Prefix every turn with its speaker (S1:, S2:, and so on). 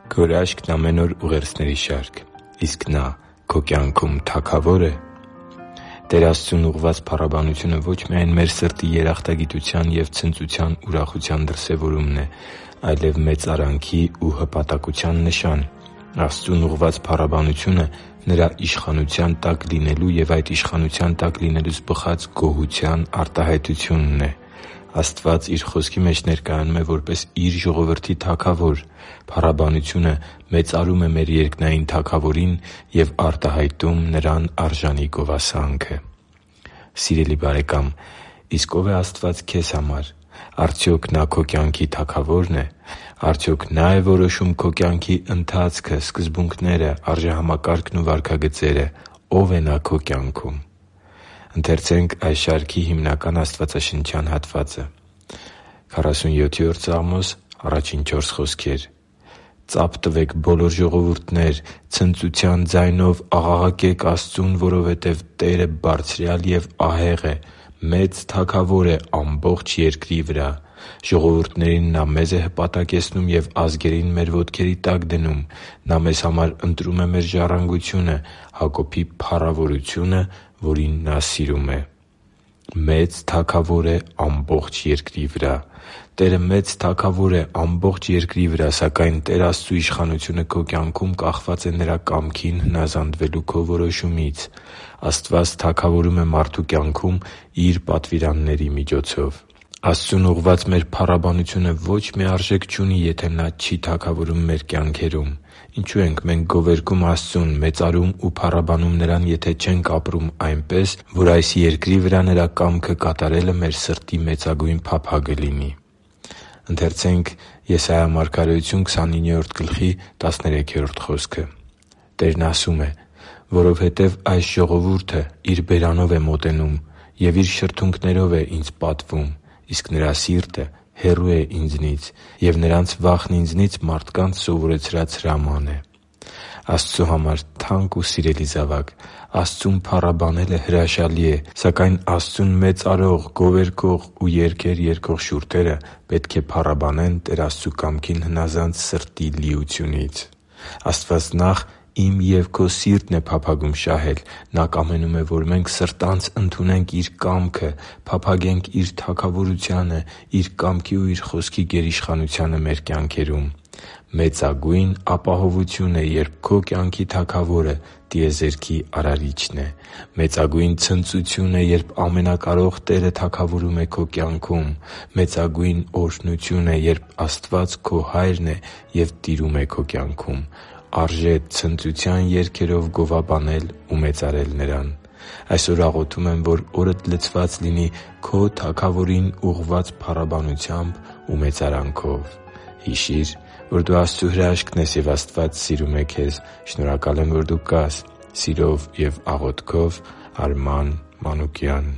S1: Քո հրաշքն ամեն օր ուղերձների շարք։ Իսկ նա քո կյանքում թագավո՞ր է։ Տեր Աստծուն ուղղված փառաբանությունը ոչ միայն մեր սրտի երախտագիտության և ցնծության ուրախության դրսևորումն է, այլև մեծարանքի ու հպատակության նշան։ Աստծուն ուղղված փառաբանությունը Նրա իշխանության տակ լինելու և այդ իշխանության տակ լինելուց բխած գոհության արտահայտությունն է։ Աստված Իր Խոսքի մեջ ներկայանում է որպես Իր ժողովրդի թագավոր։ Փառաբանությունը մեծարում է մեր երկնային Թագավորին և արտահայտում Նրան արժանի գովասանքը։ Սիրելի՛ բարեկամ, իսկ ո՞վ է Աստված քեզ համար։ Արդյոք Նա քո կյանքի Թագավո՞րն է։ Արդյոք Նա՞ է որոշում քո կյանքի ընթացքը, սկզբունքները, արժեհամակարգն ու վարքագծերը։ Ո՞վ է Նա քո կյանքում։ «Ծա՛փ տվեք, բոլոր ժողովուրդներ, ցնծության ձայնով աղաղակե՛ք Աստծուն, որովհետև Տերը Բարձրյալ և ահեղ է, մեծ Թագավոր է ամբողջ երկրի վրա։ Ժողովուրդներին Նա մեզ է հպատակեցնում և ազգերին մեր ոտքերի տակ դնում։ Նա մեզ համար ընտրում է մեր ժառանգությունը, Հակոբի փառավորությունը, որին Նա սիրում է» (Եսայիա 54․1-4)։ Մեծ Թագավոր է ամբողջ երկրի վրա։ Տերը մեծ Թագավոր է ամբողջ երկրի վրա, սակայն Տեր Աստծու իշխանությունը քո կյանքում կախված է Նրա կամքին հնազանդվելու քո որոշումից։ Աստված թագավորում է մարդու կյանքում Իր պատվիրանների միջոցով։ Աստծուն ուղղված մեր փառաբանությունը ոչ մի արժեք չունի, եթե Նա չի թագավորում մեր կյանքերում։ Ինչո՞ւ ենք մենք գովերգում Աստծուն, մեծարում ու փառաբանում Նրան, եթե չենք ապրում այնպես, որ այս երկրի վրա Նրա կամքը կատարելը մեր սրտի մեծագույն փափագը լինի։ Տերն ասում է. «Որովհետև այս ժողովուրդը իր բերանով է մոտենում և իր շրթունքներով է ինձ պատվում, իսկ նրա սիրտը հեռու է ինձնից, և նրանց վախն ինձնից մարդկանց սովորեցրած հրաման է» (Եսայիա 29․13)։ Աստծու համար թանկ ու սիրելի՛ զավակ, Աստծուն փառաբանելը հրաշալի է, սակայն Աստծուն մեծարող, գովերգող ու երգեր երգող շուրթերը պետք է փառաբանեն Տեր Աստծու կամքին հնազանդ սրտի լիությունից։ Աստված նախ իմ և քո սիրտն է փափագում շահել։ Նա կամենում է, որ մենք սրտանց ընդունենք Իր կամքը, փափագենք Իր թագավորությանը, Իր կամքի ու Իր Խոսքի գերիշխանությանը մեր կյանքերում։ Մեծագույն ապահովություն է, երբ քո կյանքի Թագավորը տիեզերքի Արարիչն է։ Մեծագույն ցնծություն է, երբ Ամենակարող Տերը թագավորում է քո կյանքում։ Մեծագույն օրհնություն է, երբ Աստված քո Հայրն է և տիրում է քո կյանքում։ Արժե ցնծության երգերով գովաբանել ու մեծարել Նրան։ Այսօր աղոթում եմ, որ օրդ լցված լինի քո Թագավորին ուղղված փառաբանությամբ ու մեծարանքով։ Հիշի՛ր, որ դու Աստծո հրաշքն ես, և Աստված սիրում է քեզ։ Շնորհակալ եմ, որ դու կա՛ս։ Սիրով և աղոթքով, Արման Մանուկյան։